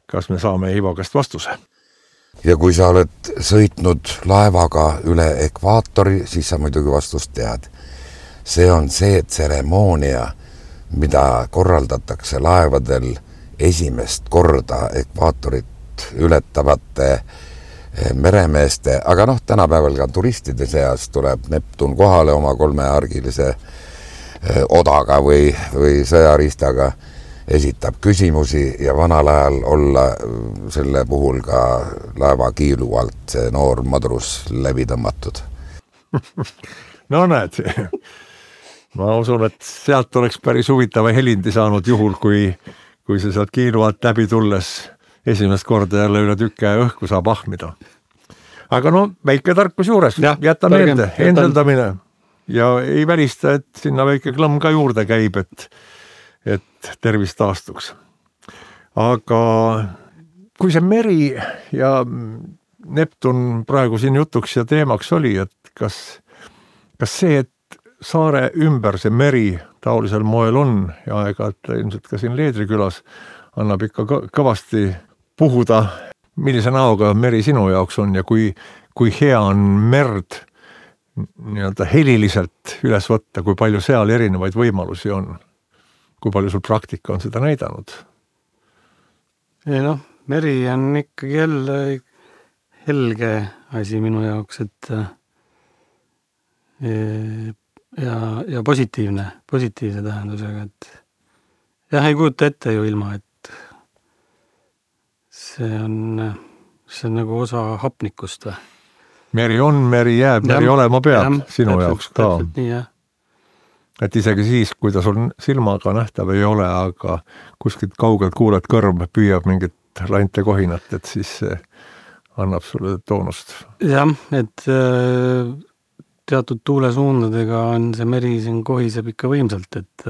kas me saame Ivo käest vastuse. Ja kui sa oled sõitnud laevaga üle ekvaatori, siis sa muidugi vastust tead. See on see tseremoonia, mida korraldatakse laevadel esimest korda ekvaatorit ületavate meremeeste, aga noh, tänapäeval ka turistide seas tuleb Neptun kohale oma kolmeargilise odaga või, või sõjariistaga, esitab küsimusi ja vanal ajal olla selle puhul ka laeva kiilu alt see noor madrus läbi tõmmatud. No näed, ma usun, et sealt oleks päris huvitava helindi saanud juhul, kui, kui see sealt kiilu alt läbi tulles esimest korda jälle üle tükke õhku saab ahmida. Aga no, väike tarkus juures, ja, jäta meelde, henseldamine ja ei välista, et sinna väike klõmm ka juurde käib, et, et tervis taastuks. Aga kui see meri ja Neptun praegu siin jutuks ja teemaks oli, et kas, kas see, et saare ümber see meri taolisel moel on ja aeg-ajalt ilmselt ka siin Leedrikülas annab ikka kõvasti puhuda, millise näoga meri sinu jaoks on ja kui, kui hea on merd nii-öelda heliliselt üles võtta, kui palju seal erinevaid võimalusi on, kui palju sul praktika on seda näidanud? Ei noh, meri on ikkagi jälle helge asi minu jaoks, et ja, ja positiivne, positiivse tähendusega, et jah, ei kujuta ette ju ilma, et see on, see on nagu osa hapnikust või? Meri on, meri jääb, meri olema peab ja, sinu täpselt, jaoks ka. Nii, jah. Et isegi siis, kui ta sul silmaga nähtav ei ole, aga kuskilt kaugelt kuuled kõrv püüab mingit lante kohinat, et siis see annab sulle toonust. Jah, et teatud tuulesuundadega on see meri siin kohiseb ikka võimsalt, et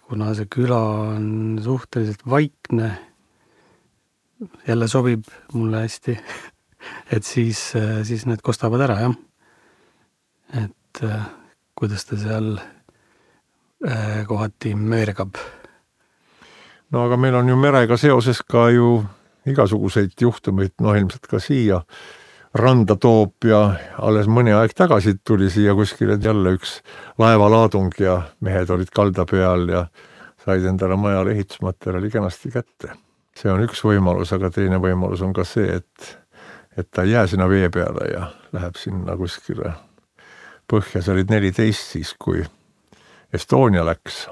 kuna see küla on suhteliselt vaikne, jälle sobib mulle hästi, et siis, siis need kostavad ära, jah. et äh, kuidas ta seal äh, kohati möörgab. No aga meil on ju merega seoses ka ju igasuguseid juhtumeid, no ilmselt ka siia randa toob ja alles mõni aeg tagasi tuli siia kuskile jälle üks laevalaadung ja mehed olid kalda peal ja said endale majale ehitusmaterjali kenasti kätte. See on üks võimalus, aga teine võimalus on ka see, et, et ta ei jää sinna vee peale ja läheb sinna kuskile põhja. See olid neliteist siis, kui Estonia läks.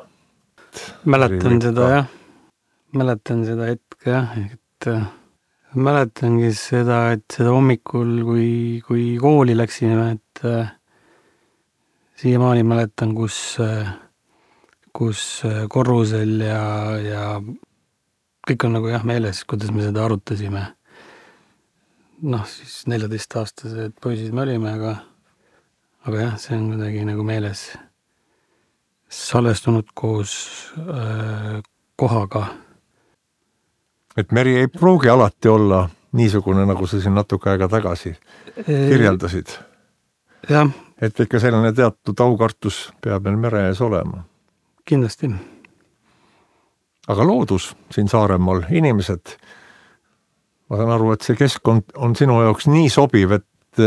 Mäletan seda jah, mäletan seda hetke jah, et mäletangi seda, et seda hommikul, kui, kui kooli läksime, et äh, siiamaani mäletan, kus, äh, kus korrusel ja, ja kõik on nagu jah meeles, kuidas me seda arutasime. Noh, siis neljateistaastased poisid me olime, aga, aga jah, see on kuidagi nagu meeles salvestunud koos äh, kohaga. Et meri ei pruugi alati olla niisugune, nagu sa siin natuke aega tagasi kirjeldasid. Jah. Et ikka selline teatud aukartus peab meil mere ees olema. Kindlasti. Aga loodus siin Saaremaal, inimesed, ma saan aru, et see keskkond on sinu jaoks nii sobiv, et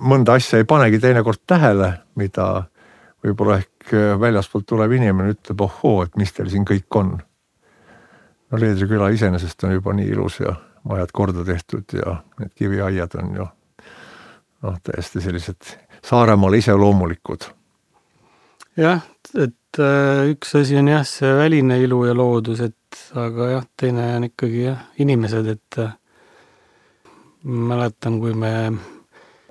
mõnda asja ei panegi teinekord tähele, mida võib-olla ehk väljaspoolt tuleb inimene, ütleb, ohoo, et mis teil siin kõik on. No Leedri küla iseenesest on juba nii ilus ja majad korda tehtud ja need kiviaiad on ju noh, täiesti sellised Saaremaal ise loomulikud. Jah, et üks asi on jah, see väline ilu ja loodus, et aga jah, teine on ikkagi jah, inimesed, et mäletan, kui me,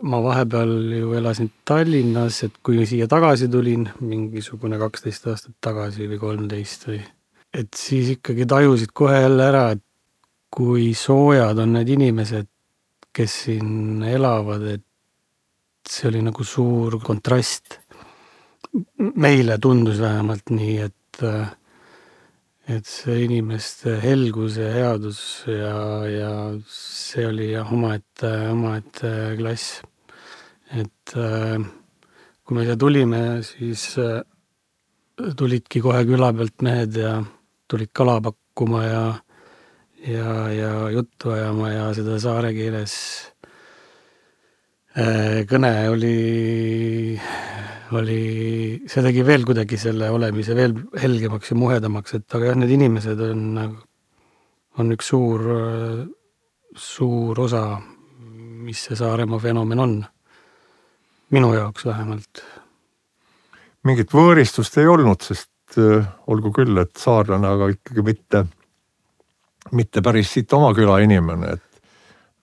ma vahepeal ju elasin Tallinnas, et kui siia tagasi tulin, mingisugune kaksteist aastat tagasi või kolmteist või et siis ikkagi tajusid kohe jälle ära, et kui soojad on need inimesed, kes siin elavad, et see oli nagu suur kontrast. Meile tundus vähemalt nii, et, et see inimeste helgus ja headus ja, ja see oli jah, omaette, omaette klass. Et kui me siia tulime, siis tulidki kohe küla pealt mehed ja tulid kala pakkuma ja, ja, ja juttu ajama ja seda saare keeles kõne oli, oli, see tegi veel kuidagi selle olemise veel helgemaks ja muhedamaks, et aga jah, need inimesed on, on üks suur, suur osa, mis see Saaremaa fenomen on. Minu jaoks vähemalt. Mingit võõristust ei olnud, sest olgu küll, et saarlane, aga ikkagi mitte, mitte päris siit oma küla inimene, et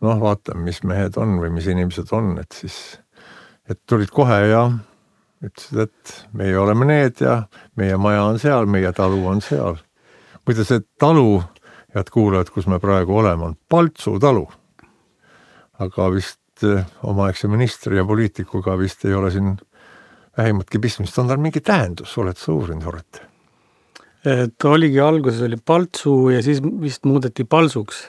noh, vaatame, mis mehed on või mis inimesed on, et siis, et tulid kohe ja ütlesid, et meie oleme need ja meie maja on seal, meie talu on seal. Muide, see talu, head kuulajad, kus me praegu oleme, on Paltsu talu. Aga vist omaaegse ministri ja poliitikuga vist ei ole siin vähimatki pistmist, on tal mingi tähendus, oled sa uurinud, Horret? Et oligi alguses oli Paltsu ja siis vist muudeti Palsuks.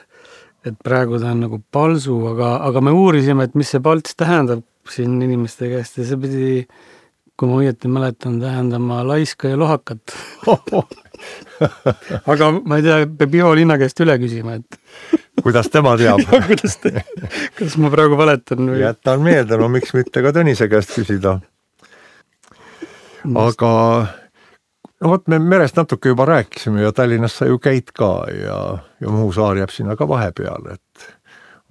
Et praegu ta on nagu Palsu, aga, aga me uurisime, et mis see Palts tähendab siin inimeste käest ja see pidi, kui ma õieti mäletan, tähendama laiska ja lohakat. Aga ma ei tea, peab Ivo Linna käest üle küsima, et kuidas tema teab? Ja, kuidas, te, kuidas ma praegu valetan? Või? Jätan meelde, no miks mitte ka Tõnise käest küsida. Aga no vot, me merest natuke juba rääkisime ja Tallinnas sa ju käid ka ja, ja Muhu saar jääb sinna ka vahepeale, et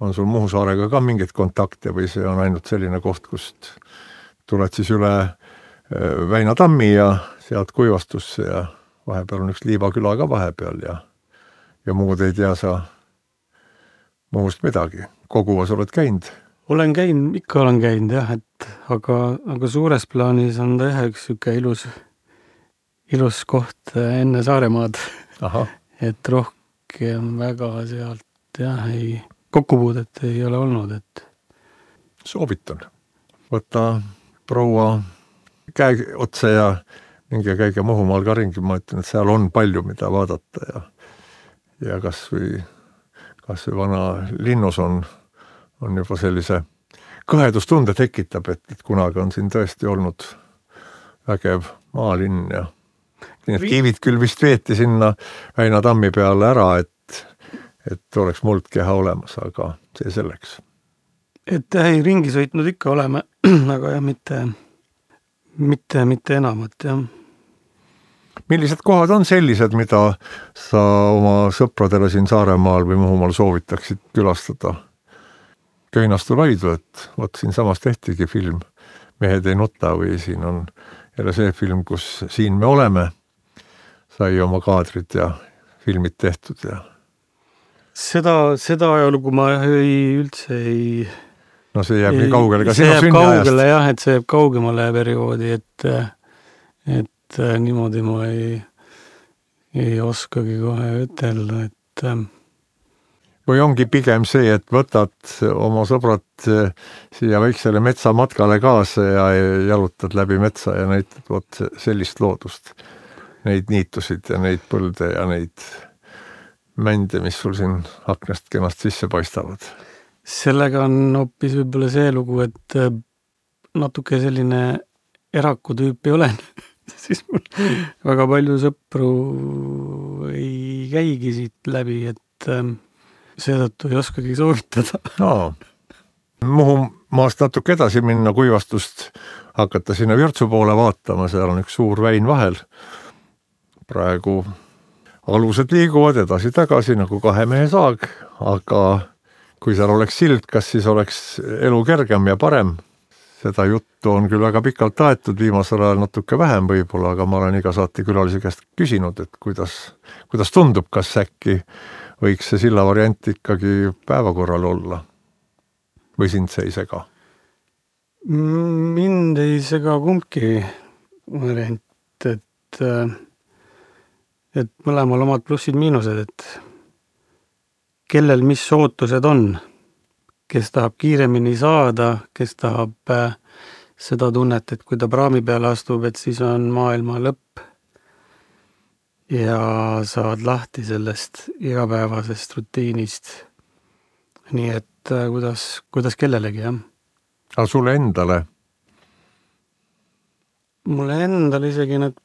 on sul Muhu saarega ka mingit kontakte või see on ainult selline koht, kust tuled siis üle Väina tammi ja sealt Kuivastusse ja vahepeal on üks Liivaküla ka vahepeal ja, ja muud ei tea sa muust midagi. Koguvas oled käinud? Olen käinud, ikka olen käinud jah, et aga, aga suures plaanis on ta jah üks süke ilus, ilus koht enne Saaremaad. Aha. Et rohkem väga sealt jah, ei, kokkupuudet ei ole olnud, et soovitan. Võta proua käe otsa ja mingi käige Muhumaal ka ringi, ma ütlen, et seal on palju, mida vaadata ja, ja kas või, kas või vana linnus on on juba sellise kõhedustunde tekitab, et, et kunagi on siin tõesti olnud vägev maalinn ja need kivid küll vist veeti sinna Väina tammi peale ära, et, et oleks muldkeha olemas, aga see selleks. Et ei, ringi sõitnud ikka oleme, aga jah, mitte, mitte, mitte enamat, jah. Millised kohad on sellised, mida sa oma sõpradele siin Saaremaal või Muhumaal soovitaksid külastada? Köinastu Laidu, et vot siin samas tehtigi film Mehed ei nuta või siin on jälle see film, kus Siin me oleme, sai oma kaadrid ja filmid tehtud ja seda, seda ajalugu ma ei, üldse ei no see jääb ei, nii kaugele ka sinu sünniajast. Jah, et see jääb kaugemale perioodi, et, et niimoodi ma ei, ei oskagi kohe ütelda, et või ongi pigem see, et võtad oma sõbrad siia väiksele metsamatkale kaasa ja jalutad läbi metsa ja näitad vot sellist loodust, neid niitusid ja neid põlde ja neid mände, mis sul siin aknast kenast sisse paistavad. Sellega on hoopis võib-olla see lugu, et natuke selline eraku tüüp ei ole. Siis mul väga palju sõpru ei käigi siit läbi, et seetõttu ei oskagi soovitada. No. Muhumaast natuke edasi minna kuivastust, hakata sinna Virtsu poole vaatama, seal on üks suur väin vahel. Praegu alused liiguvad edasi-tagasi nagu kahe mehe saag, aga kui seal oleks sild, kas siis oleks elu kergem ja parem? Seda juttu on küll väga pikalt aetud, viimasel ajal natuke vähem võib-olla, aga ma olen iga saate külalise käest küsinud, et kuidas, kuidas tundub, kas äkki võiks see silla variant ikkagi päevakorral olla? Või sind see ei sega? Mind ei sega kumbki variant, et et mõlemal omad plussid miinused, et kellel mis ootused on, kes tahab kiiremini saada, kes tahab seda tunnet, et kui ta praami peale astub, et siis on maailma lõpp ja saad lahti sellest igapäevasest rutiinist. Nii et kuidas, kuidas kellelegi, jah. Aga sulle endale? Mulle endale isegi need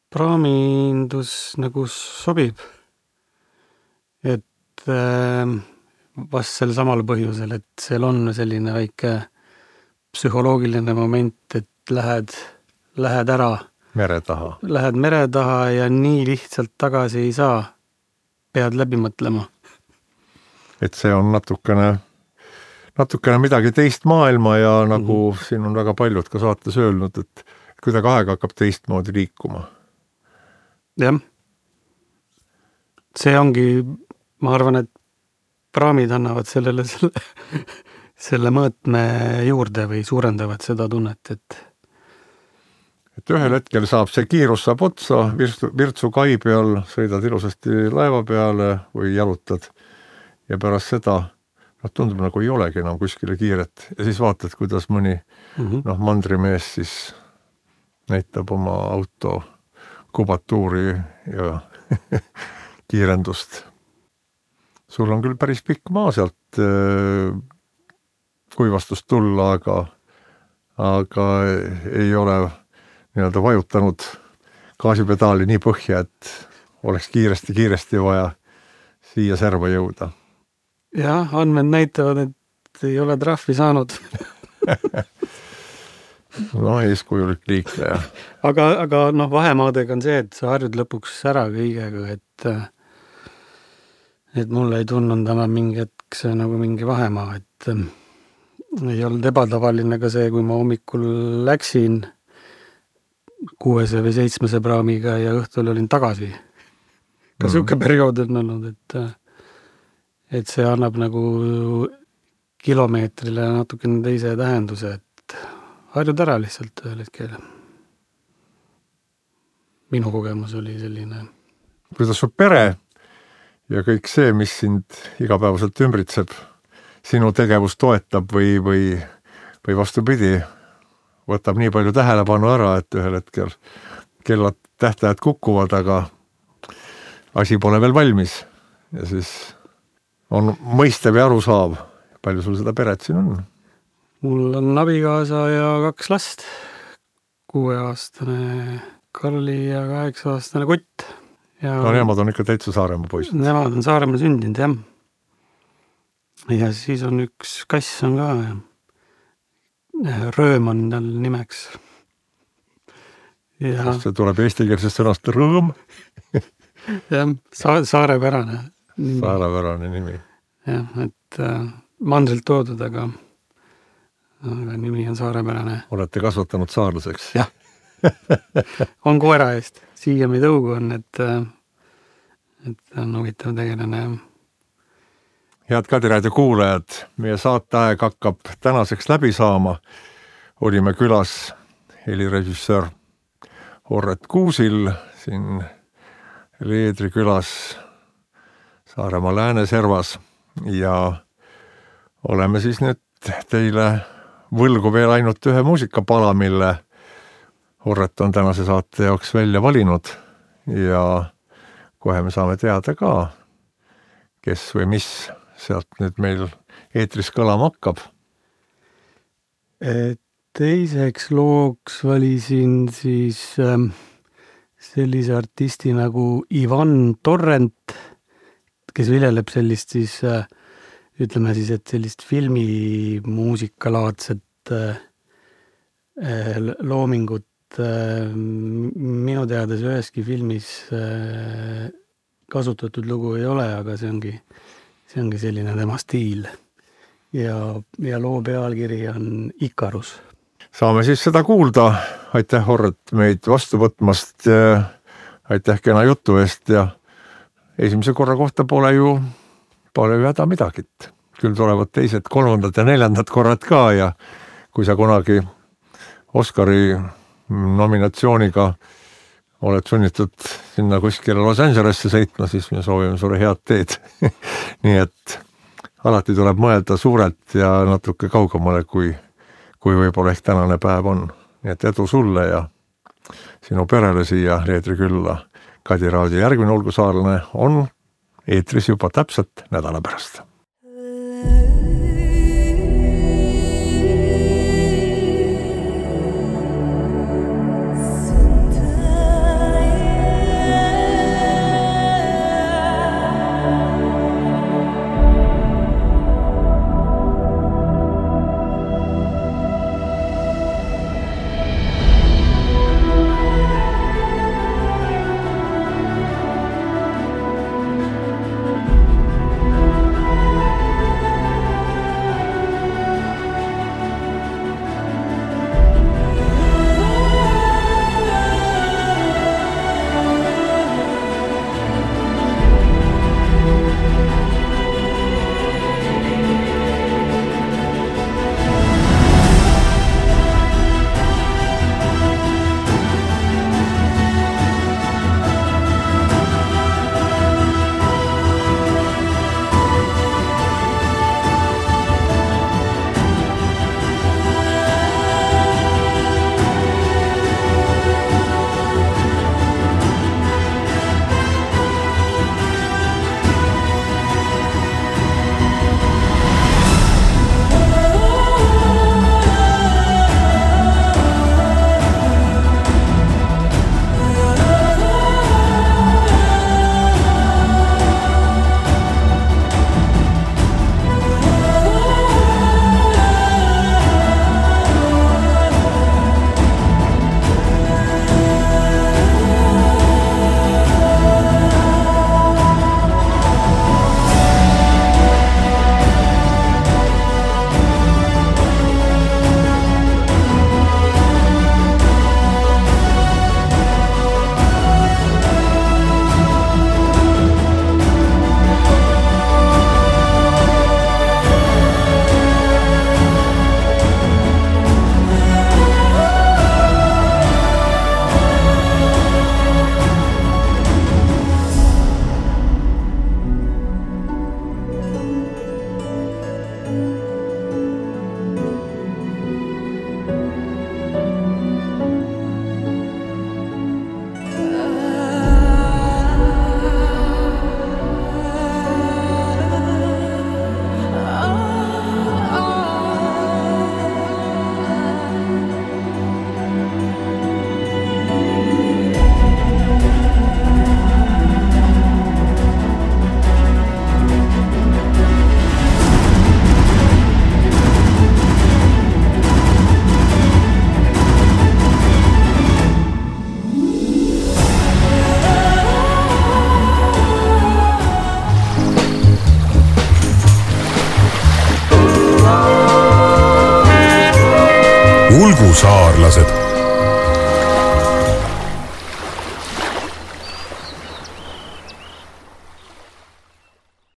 praamindus nagu sobib. Et vast sel samal põhjusel, et seal on selline väike psühholoogiline moment, et lähed, lähed ära. Mere taha. Lähed mere taha ja nii lihtsalt tagasi ei saa. Pead läbi mõtlema. Et see on natukene, natukene midagi teist maailma ja nagu mm-hmm. siin on väga paljud ka saates öelnud, et kuidagi aeg hakkab teistmoodi liikuma. Jah. See ongi, ma arvan, et praamid annavad sellele selle, selle mõõtme juurde või suurendavad seda tunnet, et et ühel hetkel saab see kiirus saab otsa, Virtsu, Virtsu kai peal sõidad ilusasti laeva peale või jalutad ja pärast seda noh, tundub nagu ei olegi enam kuskile kiiret ja siis vaatad, kuidas mõni mm-hmm. noh, mandrimees siis näitab oma auto kubatuuri ja kiirendust. Sul on küll päris pikk maa sealt kuivastust tulla, aga, aga ei ole nii-öelda vajutanud gaasipedaali nii põhja, et oleks kiiresti-kiiresti vaja siia serva jõuda. Jah, andmed näitavad, et ei ole trahvi saanud. No, eeskujulik liikleja. aga, aga noh, vahemaadega on see, et sa harjud lõpuks ära kõigega, et et mulle ei tunnud enam mingi hetk see nagu mingi vahemaa, et ei olnud ebatavaline ka see, kui ma hommikul läksin kuuese või seitsmese praamiga ja õhtul olin tagasi. Ka mm. siuke periood on olnud, et et see annab nagu kilomeetrile natukene teise tähenduse, et harjud ära lihtsalt ühel hetkel. Minu kogemus oli selline. Kuidas su pere ja kõik see, mis sind igapäevaselt ümbritseb, sinu tegevus toetab või, või, või vastupidi, võtab nii palju tähelepanu ära, et ühel hetkel kellad tähtajad kukuvad, aga asi pole veel valmis ja siis on mõistev ja aru saav. Palju sul seda peret siin on? mul on abikaasa ja kaks last, kuueaastane Karli ja kaheksa-aastane Kott. Ja no nemad on ikka täitsa Saaremaa poisid. Nemad on Saaremaa sündinud, jah. Ja siis on üks kass on ka, Rööm on tal nimeks. Ja see tuleb eestikeelsest sõnast rõõm. jah, sa- saarepärane nimi. Saarepärane nimi. Jah, et äh, mandrilt toodud, aga, aga nimi on saarepärane. Olete kasvatanud saarlaseks? Jah. On koera eest. Siiami tõugu on, et, et on huvitav tegelane. Head Kadiraadio kuulajad, meie saateaeg hakkab tänaseks läbi saama. Olime külas helirežissöör Horret Kuusil siin Leedri külas Saaremaa Lääneservas ja oleme siis nüüd teile võlgu veel ainult ühe muusikapala, mille Horret on tänase saate jaoks välja valinud ja kohe me saame teada ka, kes või mis sealt nüüd meil eetris kõlama hakkab. Teiseks looks valisin siis ähm, sellise artisti nagu Ivan Torrent, kes viljeleb sellist siis, äh, ütleme siis, et sellist filmimuusikalaadset äh, loomingut äh, minu teades üheski filmis äh, kasutatud lugu ei ole, aga see ongi, see ongi selline tema stiil. Ja, ja loo pealkiri on Ikarus. Saame siis seda kuulda. Aitäh, Horret, meid vastu võtmast. Aitäh kena jutu eest ja esimese korra kohta pole ju, pole ju häda midagit. Küll tulevad teised, kolmandad ja neljandad korrad ka ja kui sa kunagi Oscari nominatsiooniga oled sunnitud sinna kuskile Los Angelesse sõitma, siis me soovime sulle head teed. Nii et alati tuleb mõelda suurelt ja natuke kaugemale, kui, kui võib-olla ehk tänane päev on. Nii et edu sulle ja sinu perele siia Leedri külla. Kadiraadio järgmine Olgu saarlane on eetris juba täpselt nädala pärast. tulgu saarlased